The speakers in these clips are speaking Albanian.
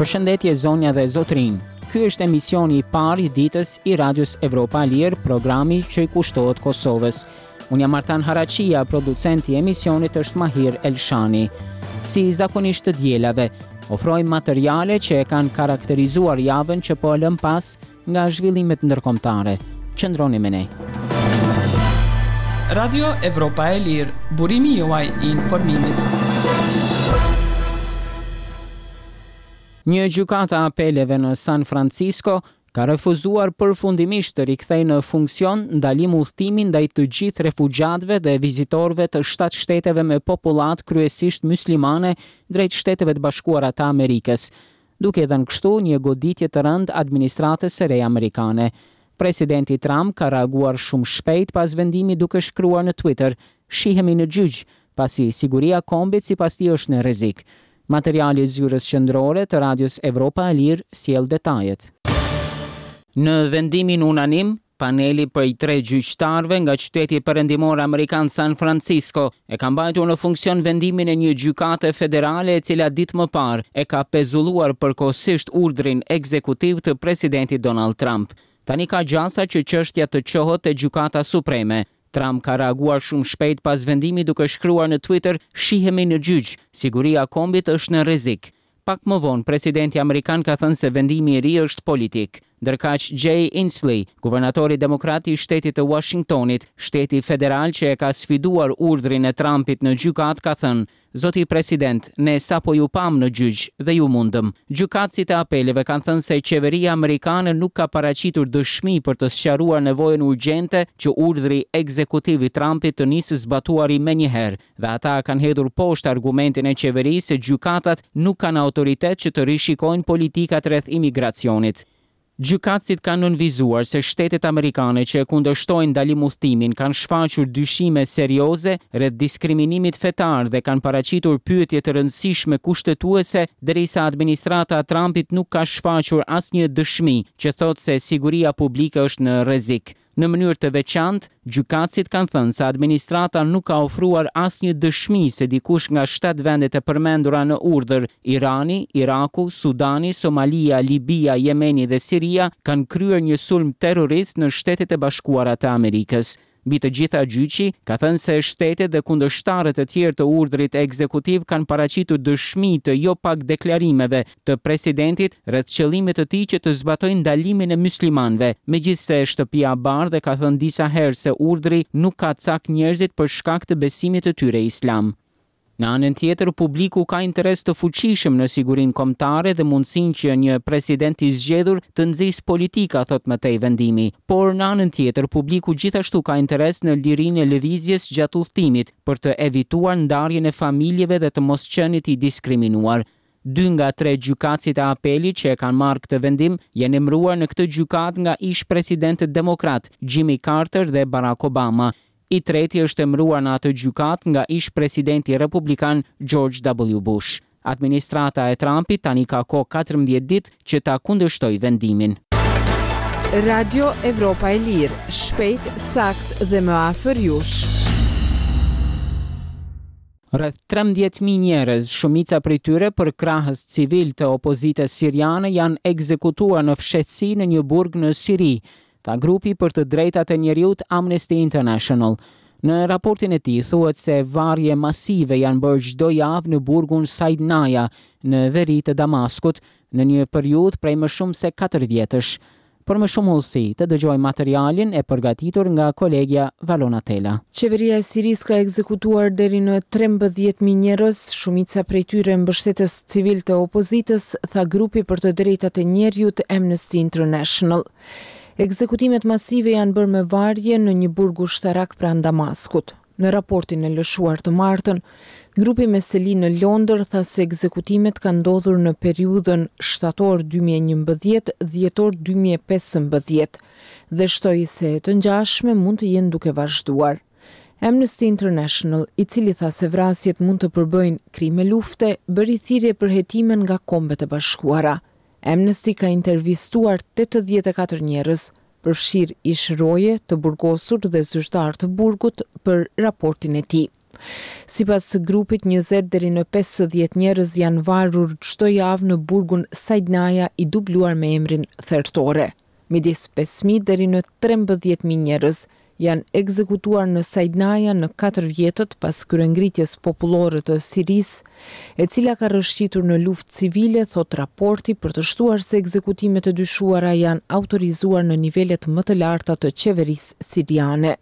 Përshëndetje zonja dhe zotërinj. Ky është emisioni i parë i ditës i Radios Evropa e Lirë, programi që i kushtohet Kosovës. Unë jam Artan Haraqija, producenti i emisionit është Mahir Elshani. Si zakonisht të dielave, ofrojmë materiale që e kanë karakterizuar javën që po e lëmë pas nga zhvillimet ndërkombëtare. Qëndroni me ne. Radio Evropa e Lirë, burimi juaj i informimit. Një gjykatë e apeleve në San Francisco ka refuzuar përfundimisht të rikthejë në funksion ndalim udhëtimin ndaj të gjithë refugjatëve dhe vizitorëve të shtatë shteteve me popullatë kryesisht myslimane drejt Shteteve të Bashkuara të Amerikës, duke i dhënë kështu një goditje të rëndë administratës së re amerikane. Presidenti Trump ka reaguar shumë shpejt pas vendimit duke shkruar në Twitter, Shihemi në gjyq, pasi siguria e kombit sipas tij është në rrezik. Materiali i Zyrës Qendrore të Radios Evropa e Lirë sjell detajet. Në vendimin unanim, Paneli prej tre gjyqtarëve nga qyteti perëndimor amerikan San Francisco e ka mbajtur në funksion vendimin e një gjykate federale e cila ditë më parë e ka pezulluar përkohësisht urdhrin ekzekutiv të presidentit Donald Trump. Tani ka gjasa që çështja të çohet te Gjykata Supreme. Trump ka reaguar shumë shpejt pas vendimit duke shkruar në Twitter Shihemi në gjyq, siguria e kombit është në rrezik. Pak më vonë, presidenti amerikan ka thënë se vendimi i ri është politik. Ndërkaq, Jay Inslee, guvernatori demokrat i shtetit të Uashingtonit, shteti federal që e ka sfiduar urdhrin e Trumpit në gjykatë, ka thënë, Zoti President, ne sapo ju pamë në gjyq dhe ju mundëm. Gjykatësit e apeleve kanë thënë se qeveria amerikane nuk ka paraqitur dëshmi për të sqaruar nevojën urgjente që urdhri ekzekutiv i Trumpit të nisë së zbatuari menjëherë dhe ata kanë hedhur poshtë argumentin e qeverisë se gjykatat nuk kanë autoritet që të rishikojnë politikat rreth imigracionit. Gjykatësit kanë nënvizuar se shtetet amerikane që e kundërshtojnë ndalim-udhëtimin kanë shfaqur dyshime serioze rreth diskriminimit fetar dhe kanë paraqitur pyetje të rëndësishme kushtetuese derisa administrata e Trumpit nuk ka shfaqur asnjë dëshmi që thotë se siguria publike është në rrezik. Në mënyrë të veçantë, gjykatësit kanë thënë se administrata nuk ka ofruar asnjë dëshmi se dikush nga shtatë vendet e përmendura në urdhër, Irani, Iraku, Sudani, Somalia, Libia, Jemeni dhe Siria, kanë kryer një sulm terrorist në Shtetet e Bashkuara të Amerikës. Mbi të gjitha gjyqi ka thënë se shtetet dhe kundërshtarët e tjerë të urdhrit ekzekutiv kanë paraqitur dëshmi të jo pak deklarimeve të presidentit rreth qëllimit të tij që të zbatojë ndalimin e myslimanëve, megjithëse Shtëpia e Bardhë e ka thënë disa herë se urdhri nuk ka cak njerëzit për shkak të besimit të tyre islam. Në anën tjetër, publiku ka interes të fuqishëm në sigurinë kombëtare dhe mundësinë që një president i zgjedhur të nxisë politika, thotë më tej vendimi. Por, në anën tjetër, publiku gjithashtu ka interes në lirinë e lëvizjes gjatë udhëtimit, për të evituar ndarjen e familjeve dhe të mos qenit i diskriminuar. Dy nga tre gjykatësit e apelit që e kanë marrë këtë vendim janë emëruar në këtë gjykatë nga ish-presidentët demokratë, Jimmy Carter dhe Barack Obama. I treti është emëruar në atë gjykatë nga ish-presidenti republikan George W. Bush. Administrata e Trumpit tani ka kohë 14 ditë që ta kundërshtojë vendimin. Radio Evropa e Lirë, shpejt, saktë dhe më afër jush. Rreth 13.000 njerëz, shumica prej tyre përkrahës civilë të opozitës siriane janë ekzekutuar në fshehtësi në një burg në Siri, tha grupi për të drejtat e njeriut Amnesty International. Në raportin e tij thuhet se varje masive janë bërë çdo javë në burgun Saidnaya në veri të Damaskut në një periudhë prej më shumë se katër vjetësh. Për më shumë hollësi, të dëgjojmë materialin e përgatitur nga kolegja Valona Tela. Qeveria e Sirisë ka ekzekutuar deri në 13,000 njerëz, shumica prej tyre mbështetës civilë të opozitës, tha grupi për të drejtat e njeriut Amnesty International. Ekzekutimet masive janë bërë me varje në një burg ushtarak pranë Damaskut. Në raportin e lëshuar të martën, grupi me seli në Londër tha se ekzekutimet kanë ndodhur në periudhën shtator 2011, dhjetor 2015 dhe shtoi se të ngjashme mund të jenë duke vazhduar. Amnesty International, i cili tha se vrasjet mund të përbëjnë krime lufte, bëri thirrje për hetime nga Kombet e Bashkuara. Amnesty ka intervistuar 84 njerëz, përfshirë ish roje të burgosur dhe zyrtarë të burgut për raportin e tij. Sipas grupit, 20 deri në 50 njerëz janë varur çdo javë në burgun Saidnaya i dubluar me emrin Thertore. Midis 5.000 deri në 13.000 njerëz janë ekzekutuar në Saidnaya në katër vjetët pas kryengritjes popullore të Sirisë, e cila ka rrëshqitur në luftë civile, thotë raporti, për të shtuar se ekzekutimet e dyshuara janë autorizuar në nivelet më të larta të qeverisë siriane.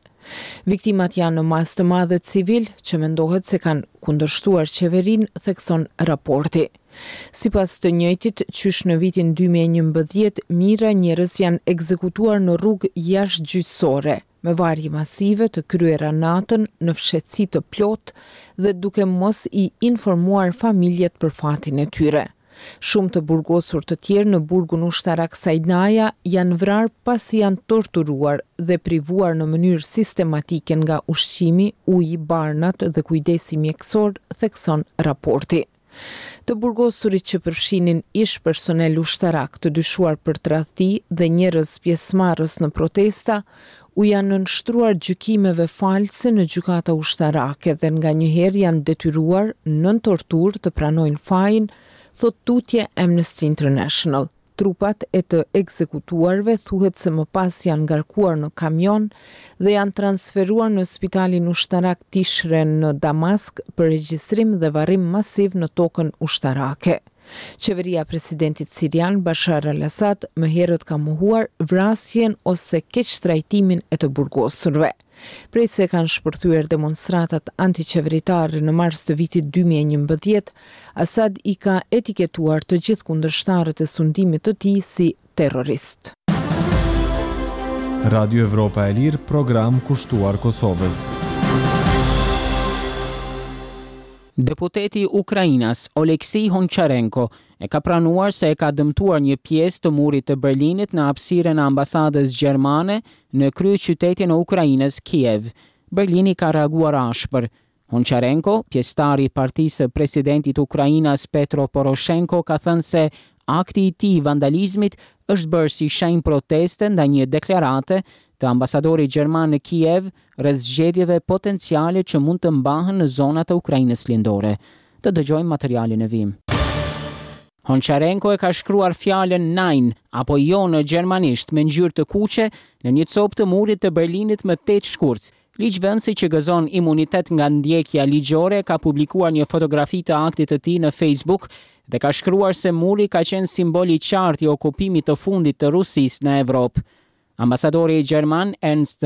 Viktimat janë në masë të madhe civilë, që mendohet se kanë kundërshtuar qeverinë, thekson raporti. Sipas të njëjtit, qysh në vitin 2011, mijëra njerëz janë ekzekutuar në rrugë jashtëgjyqësore, me varje masive të kryera natën në fshehtësi të plotë dhe duke mos i informuar familjet për fatin e tyre. Shumë të burgosur të tjerë në burgun ushtarak Saidnaya janë vrarë pasi janë torturuar dhe privuar në mënyrë sistematike nga ushqimi, uji, barnat dhe kujdesi mjekësor, thekson raporti. Të burgosurit që përfshinin ish personel ushtarak të dyshuar për tradhti dhe njerëz pjesëmarrës në protesta, u janë nënshtruar gjykimeve false në gjykata ushtarake dhe nganjëherë janë detyruar nën torturë të pranojnë fajin, thotë tutje Amnesty International. Trupat e të ekzekutuarve thuhet se më pas janë ngarkuar në kamion dhe janë transferuar në spitalin ushtarak Tishren në Damask për regjistrim dhe varrim masiv në tokën ushtarake. Qeveria e presidentit sirian Bashar al-Assad më herët ka mohuar vrasjen ose keqtrajtimin e të burgosurve. Prej se kanë shpërthyer demonstratat antiqeveritare në mars të vitit 2011, Assad i ka etiketuar të gjithë kundërshtarët e sundimit të tij si terrorist. Radio Evropa e Lirë, program kushtuar Kosovës. Deputeti ukrainas Oleksiy Honcharenko e ka pranuar se e ka dëmtuar një pjesë të murit të Berlinit në hapësirën e ambasadës gjermane në kryeqytetin e Ukrainës, Kiev. Berlini ka reaguar ashpër. Honcharenko, pjesëtar i partisë së presidentit ukrainas Petro Poroshenko ka thënë se akti i tij i vandalizmit është bërë si shenjë proteste ndaj një deklarate të ambasadorit gjerman në Kiev rreth zgjedhjeve potenciale që mund të mbahen në zonat e Ukrainës Lindore. Të dëgjojmë materialin në vijim. Honcharenko e ka shkruar fjalën Nein apo jo në gjermanisht me ngjyrë të kuqe në një copë të murit të Berlinit më 8 shkurt. Ligjvënësi që gëzon imunitet nga ndjekja ligjore ka publikuar një fotografi të aktit të tij në Facebook dhe ka shkruar se muri ka qenë simbol i qartë i okupimit të fundit të Rusisë në Evropë. Ambasadori gjerman Ernst.